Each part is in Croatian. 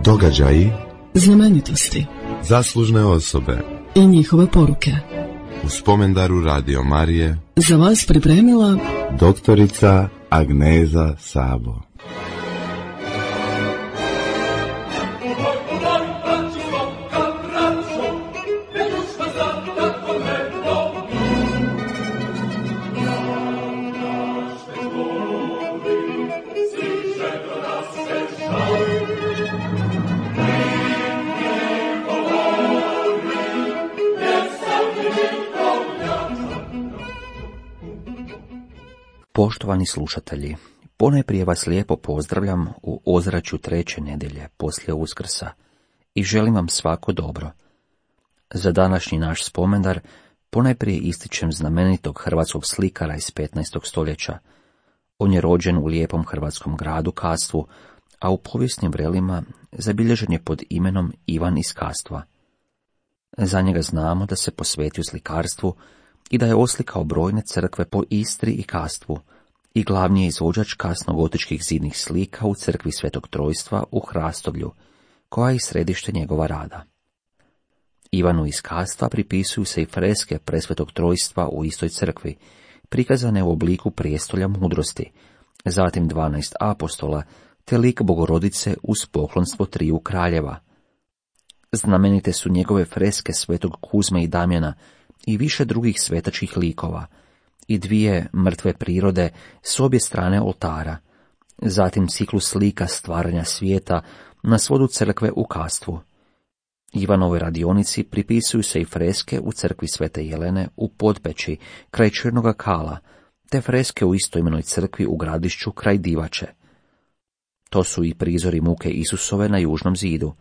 Događaji, znamenitosti, zaslužne osobe i njihove poruke. U spomendaru Radio Marije Za vas pripremila doktorica Agneza Sabo. Poštovani slušatelji, ponajprije vas lijepo pozdravljam u ozračju treće nedjelje poslije Uskrsa i želim vam svako dobro. Za današnji naš spomendar ponajprije ističem znamenitog hrvatskog slikara iz 15. stoljeća. On je rođen u lijepom hrvatskom gradu Kastvu, a u povijesnim vrelima zabilježen je pod imenom Ivan iz Kastva. Za njega znamo da se posvetio slikarstvu i da je oslikao brojne crkve po Istri i Kastvu i glavni je izvođač kasnogotičkih zidnih slika u crkvi Svetog Trojstva u Hrastovlju, koja je središte njegova rada. Ivanu iz Kastva pripisuju se i freske Presvetog Trojstva u istoj crkvi, prikazane u obliku prijestolja mudrosti, zatim 12 apostola, te lik Bogorodice uz poklonstvo triju kraljeva. Znamenite su njegove freske Svetog Kuzme i Damjana i više drugih svetačkih likova, i dvije mrtve prirode s obje strane oltara, zatim ciklus slika stvaranja svijeta na svodu crkve u Kastvu. Ivanovoj radionici pripisuju se i freske u crkvi Svete Jelene u Podpeći kraj Črnoga Kala, te freske u istoimenoj crkvi u Gradišću kraj Divače. To su i prizori muke Isusove na južnom zidu.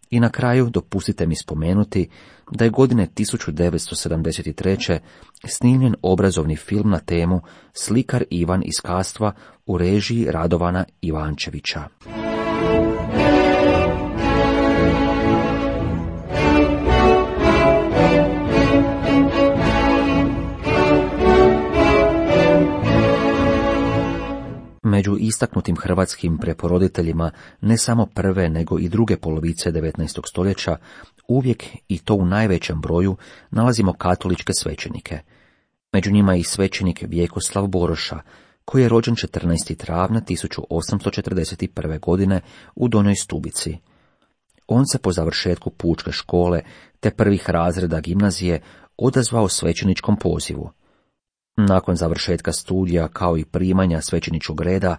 I na kraju dopustite mi spomenuti da je godine 1973. snimljen obrazovni film na temu Slikar Ivan iz Kastva u režiji Radovana Ivančevića. Među istaknutim hrvatskim preporoditeljima ne samo prve nego i druge polovice 19. stoljeća uvijek i to u najvećem broju nalazimo katoličke svećenike. Među njima je i svećenik Vjekoslav Boroša, koji je rođen 14. travnja 1841. godine u Donjoj Stubici. On se po završetku pučke škole te prvih razreda gimnazije odazvao svećeničkom pozivu. Nakon završetka studija kao i primanja svećeničkog reda,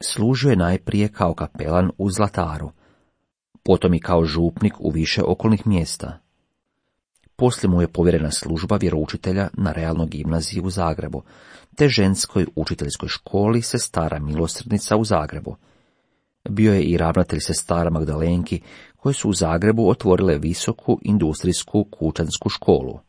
služio je najprije kao kapelan u Zlataru, potom i kao župnik u više okolnih mjesta. Poslije mu je povjerena služba vjeroučitelja na realnoj gimnaziji u Zagrebu, te ženskoj učiteljskoj školi Sestara Milosrdnica u Zagrebu. Bio je i ravnatelj Sestara Magdalenki, koje su u Zagrebu otvorile visoku industrijsku kućansku školu.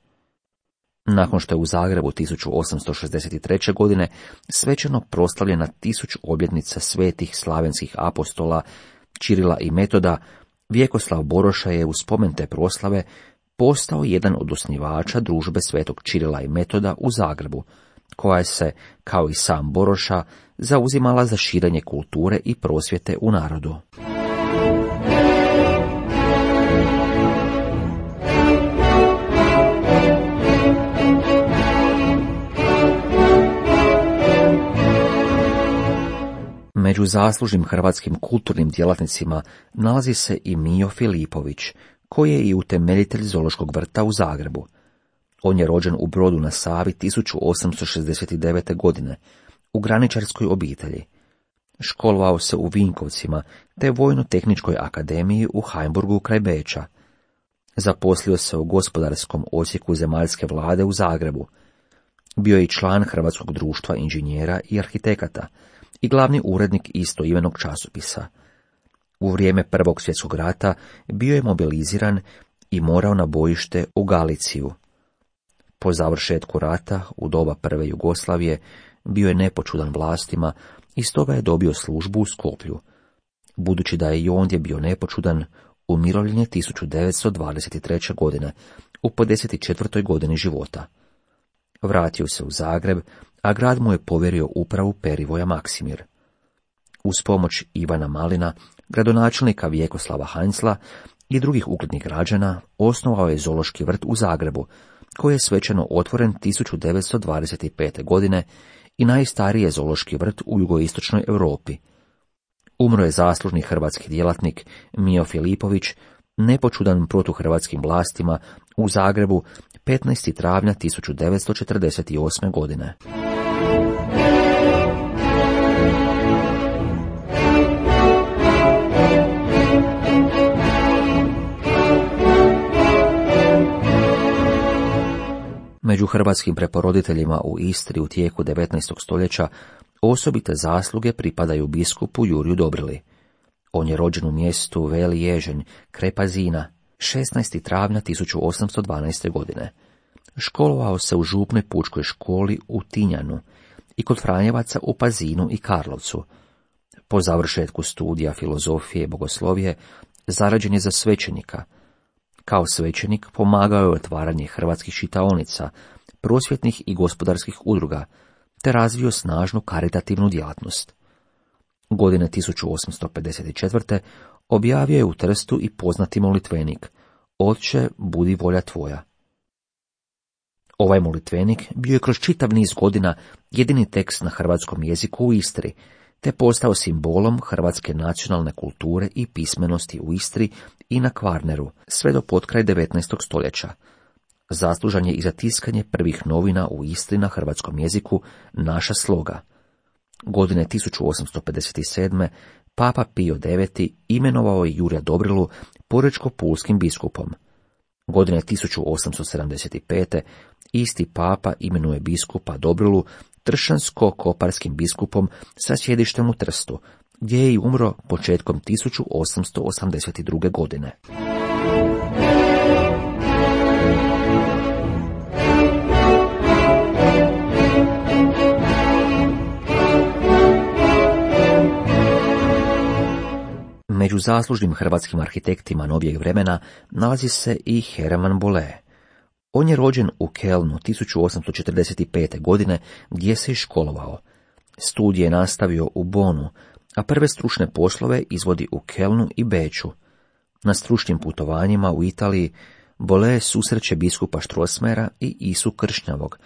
Nakon što je u Zagrebu 1863. godine svečano proslavljena 1000 obljetnica svetih slavenskih apostola Čirila i Metoda, Vjekoslav Boroša je u spomen te proslave postao jedan od osnivača družbe svetog Čirila i Metoda u Zagrebu, koja se, kao i sam Boroša, zauzimala za širenje kulture i prosvjete u narodu. Među zaslužnim hrvatskim kulturnim djelatnicima nalazi se i Mijo Filipović, koji je i utemeljitelj Zoološkog vrta u Zagrebu. On je rođen u Brodu na Savi 1869. godine, u graničarskoj obitelji. Školovao se u Vinkovcima, te Vojno-tehničkoj akademiji u Heimburgu kraj Beča. Zaposlio se u gospodarskom odsjeku zemaljske vlade u Zagrebu. Bio je i član Hrvatskog društva inženjera i arhitekata i glavni urednik istoimenog časopisa. U vrijeme Prvog svjetskog rata bio je mobiliziran i morao na bojište u Galiciju. Po završetku rata, u doba prve Jugoslavije, bio je nepočudan vlastima i stoga je dobio službu u Skoplju. Budući da je i ondje bio nepočudan, umirovljen je 1923. godine, u 54. godini života. Vratio se u Zagreb, a grad mu je povjerio upravu Perivoja Maksimir. Uz pomoć Ivana Malina, gradonačelnika Vjekoslava Heinzla i drugih uglednih građana, osnovao je zoološki vrt u Zagrebu, koji je svečano otvoren 1925. godine i najstariji je zoološki vrt u jugoistočnoj Europi. Umro je zaslužni hrvatski djelatnik Mijo Filipović, nepočudan protuhrvatskim vlastima, u Zagrebu 15. travnja 1948. godine. Među hrvatskim preporoditeljima u Istri u tijeku 19. stoljeća osobite zasluge pripadaju biskupu Juriju Dobrili. On je rođen u mjestu Veli Ježenj, kraj Pazina, 16. travnja 1812. godine. Školovao se u župnoj pučkoj školi u Tinjanu i kod Franjevaca u Pazinu i Karlovcu. Po završetku studija filozofije i bogoslovije zarađen je za svećenika. Kao svećenik pomagao je otvaranje hrvatskih čitaonica, prosvjetnih i gospodarskih udruga, te razvio snažnu karitativnu djelatnost. Godine 1854. objavio je u Trstu i poznati molitvenik Otče, budi volja tvoja. Ovaj molitvenik bio je kroz čitav niz godina jedini tekst na hrvatskom jeziku u Istri, te postao simbolom hrvatske nacionalne kulture i pismenosti u Istri i na Kvarneru, sve do potkraj 19. stoljeća. Zaslužan je i za tiskanje prvih novina u Istri na hrvatskom jeziku Naša sloga. Godine 1857. Papa Pio IX. Imenovao je Jurija Dobrilu porečko-pulskim biskupom. Godine 1875. isti papa imenuje biskupa Dobrilu tršansko-koparskim biskupom sa sjedištem u Trstu, gdje je i umro početkom 1882. godine. Među zaslužnim hrvatskim arhitektima novijeg vremena nalazi se i Hermann Bolle. On je rođen u Kelnu 1845. godine, gdje se i školovao. Studije je nastavio u Bonu, a prve stručne poslove izvodi u Kelnu i Beču. Na stručnim putovanjima u Italiji Bolle susreće biskupa Strossmayera i Isu Kršnjavog,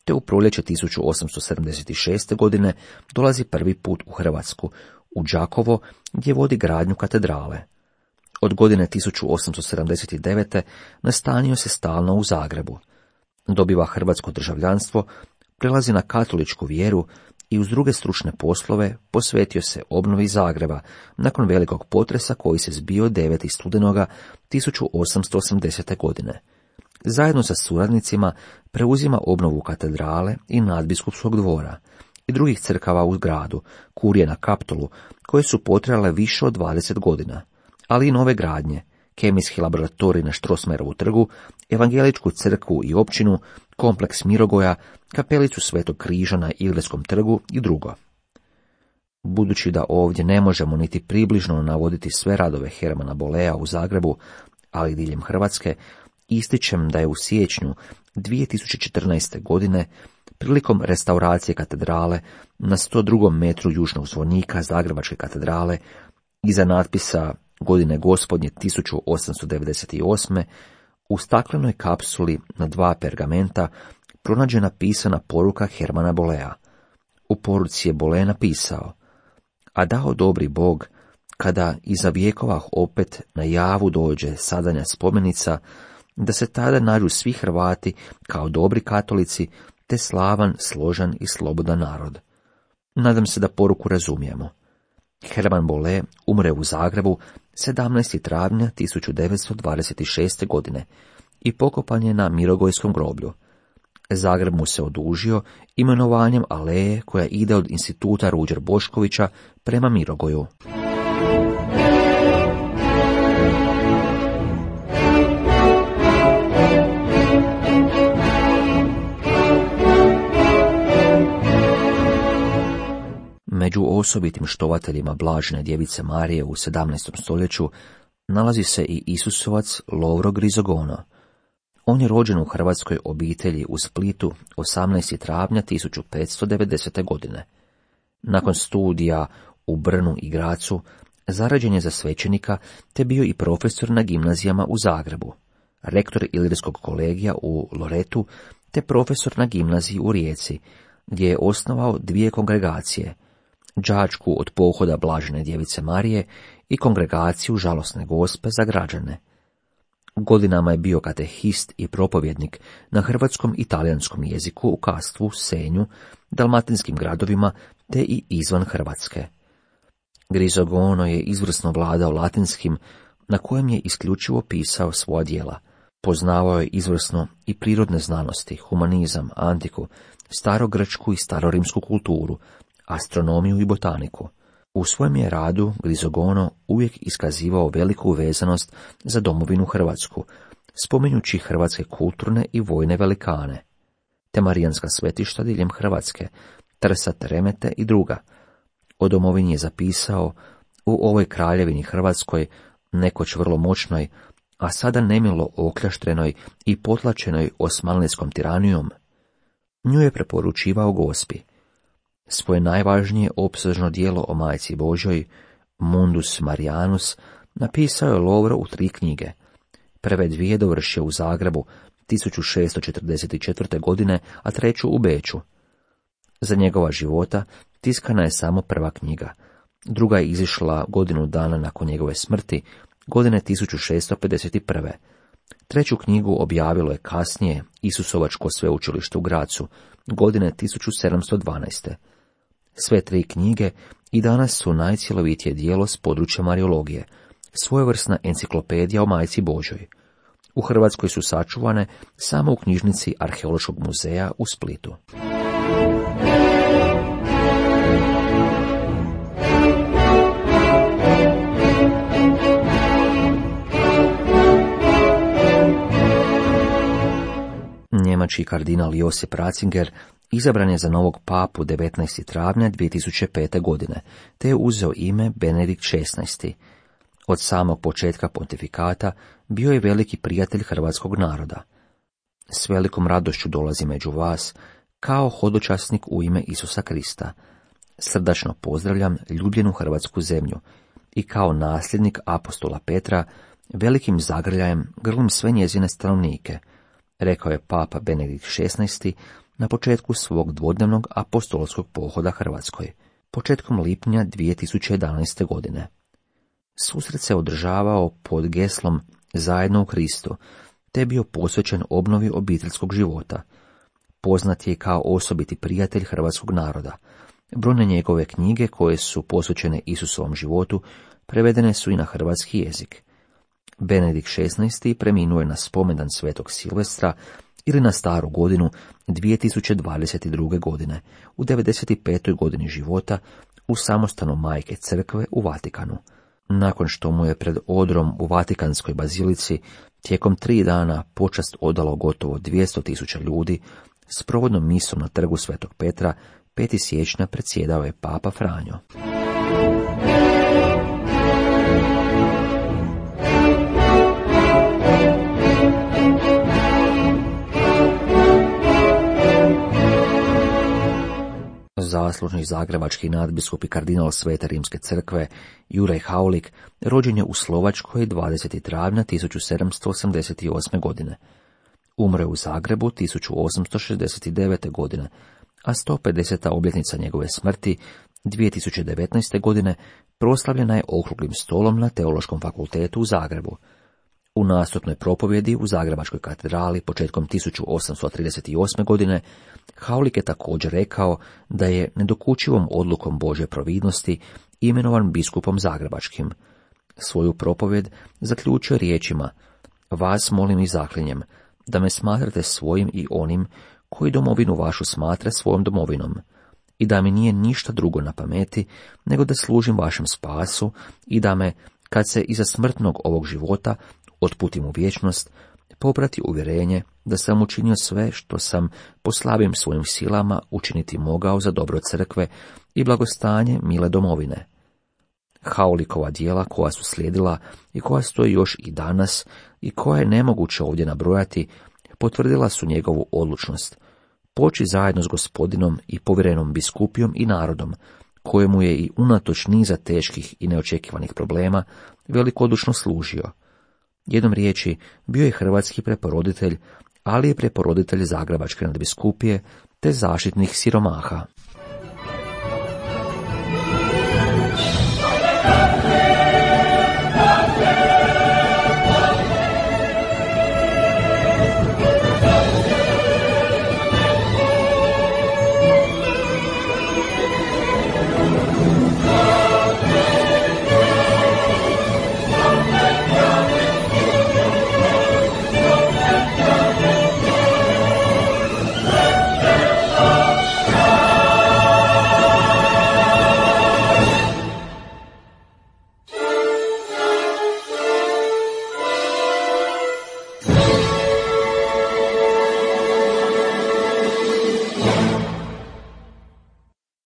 te u proljeće 1876. godine dolazi prvi put u Hrvatsku, u Đakovo, gdje vodi gradnju katedrale. Od godine 1879. nastanio se stalno u Zagrebu. Dobiva hrvatsko državljanstvo, prelazi na katoličku vjeru i uz druge stručne poslove posvetio se obnovi Zagreba nakon velikog potresa koji se zbio 9. studenoga 1880. godine. Zajedno sa suradnicima preuzima obnovu katedrale i nadbiskupskog dvora i drugih crkava u gradu, kurije na Kaptolu, koje su potrajale više od 20 godina, ali i nove gradnje, kemijski laboratorij na Strossmayerovu trgu, evangeličku crkvu i općinu, kompleks Mirogoja, kapelicu Svetog križa na Ileskom trgu i drugo. Budući da ovdje ne možemo niti približno navoditi sve radove Hermana Bollea u Zagrebu, ali i diljem Hrvatske, ističem da je u siječnju 2014. godine prilikom restauracije katedrale na 102. metru južnog zvonika Zagrebačke katedrale iza natpisa Godine gospodnje 1898. u staklenoj kapsuli na 2 pergamenta pronađena pisana poruka Hermana Bollea. U poruci je Bolle napisao: a dao dobri Bog, kada iza vjekova opet na javu dođe sadanja spomenica, da se tada nađu svi Hrvati kao dobri katolici, te slavan, složan i slobodan narod. Nadam se da poruku razumijemo. Hermann Bolle umre u Zagrebu 17. travnja 1926. godine i pokopan je na Mirogojskom groblju. Zagreb mu se odužio imenovanjem aleje koja ide od instituta Ruđer Boškovića prema Mirogoju. Među osobitim štovateljima Blažene djevice Marije u 17. stoljeću nalazi se i Isusovac Lovro Grizogono. On je rođen u hrvatskoj obitelji u Splitu 18. travnja 1590. godine. Nakon studija u Brnu i Gracu, zarađen je za svećenika, te bio i profesor na gimnazijama u Zagrebu, rektor Ilirskog kolegija u Loretu, te profesor na gimnaziji u Rijeci, gdje je osnovao 2 kongregacije, đačku od pohoda Blažene djevice Marije i kongregaciju Žalosne Gospe za građane. Godinama je bio katehist i propovjednik na hrvatskom i talijanskom jeziku u Kastvu, Senju, dalmatinskim gradovima te i izvan Hrvatske. Grisogono je izvrsno vladao latinskim, na kojem je isključivo pisao svoja djela. Poznavao je izvrsno i prirodne znanosti, humanizam, antiku, starogrčku i starorimsku kulturu, astronomiju i botaniku. U svojem je radu Grisogono uvijek iskazivao veliku vezanost za domovinu Hrvatsku, spominjući hrvatske kulturne i vojne velikane, te marijanska svetišta diljem Hrvatske, Trsat, Remete i druga. O domovini je zapisao: u ovoj kraljevini Hrvatskoj, nekoć vrlo moćnoj, a sada nemilo okljaštrenoj i potlačenoj osmanlijskom tiranijom, nju je preporučivao Gospi. Svoje najvažnije opsežno djelo o Majci Božjoj, Mundus Marianus, napisao je Lovro u 3 knjige. Prve 2 dovršio u Zagrebu 1644. godine, a 3. u Beču. Za njegova života tiskana je samo prva knjiga. Druga je izišla godinu dana nakon njegove smrti, godine 1651. 3. knjigu objavilo je kasnije Isusovačko sveučilište u Gracu, godine 1712. Sve 3 knjige i danas su najcjelovitije djelo s područja mariologije, svojevrsna enciklopedija o Majci Božjoj. U Hrvatskoj su sačuvane samo u knjižnici Arheološkog muzeja u Splitu. Njemački kardinal Josip Ratzinger izabran je za novog papu 19. travnja 2005. godine, te je uzeo ime Benedikt XVI. Od samog početka pontifikata bio je veliki prijatelj hrvatskog naroda. S velikom radošću dolazi među vas, kao hodočasnik u ime Isusa Krista. Srdačno pozdravljam ljubljenu hrvatsku zemlju i kao nasljednik apostola Petra velikim zagrljajem grlim sve njezine stanovnike, rekao je papa Benedikt XVI na početku svog dvodnevnog apostolskog pohoda Hrvatskoj, početkom lipnja 2011. godine. Susret se održavao pod geslom Zajedno u Kristu, te je bio posvećen obnovi obiteljskog života. Poznat je kao osobiti prijatelj hrvatskog naroda. Brojne njegove knjige koje su posvećene Isusovom životu prevedene su i na hrvatski jezik. Benedikt XVI preminuo je na spomendan Svetog Silvestra ili na Staru godinu 2022. godine, u 95. godini života, u samostanu Majke Crkve u Vatikanu. Nakon što mu je pred odrom u Vatikanskoj bazilici tijekom 3 dana počast odalo gotovo 200.000 ljudi, s provodnom misom na trgu Svetog Petra 5. siječnja predsjedao je papa Franjo. Zaslužni zagrebački nadbiskup i kardinal Svete Rimske crkve Juraj Haulik rođen je u Slovačkoj 20. travnja 1788. godine. Umro je u Zagrebu 1869. godine, a 150. obljetnica njegove smrti 2019. godine proslavljena je okruglim stolom na Teološkom fakultetu u Zagrebu. U nastupnoj propovjedi u Zagrebačkoj katedrali početkom 1838. godine Haulik je također rekao da je nedokučivom odlukom Božje providnosti imenovan biskupom zagrebačkim. Svoju propovjed zaključio riječima: vas molim i zaklinjem da me smatrate svojim i onim koji domovinu vašu smatra svojom domovinom, i da mi nije ništa drugo na pameti nego da služim vašem spasu i da me, kad se iza smrtnog ovog života otputim u vječnost, poprati uvjerenje da sam učinio sve što sam po slabim svojim silama učiniti mogao za dobro crkve i blagostanje mile domovine. Haulikova djela koja su slijedila i koja stoji još i danas i koja je nemoguće ovdje nabrojati, potvrdila su njegovu odlučnost poći zajedno s Gospodinom i povjerenom biskupijom i narodom kojemu je i unatoč niza teških i neočekivanih problema velikodušno služio. Jednom riječi, bio je hrvatski preporoditelj, ali i preporoditelj Zagrebačke nadbiskupije te zaštitnih siromaha.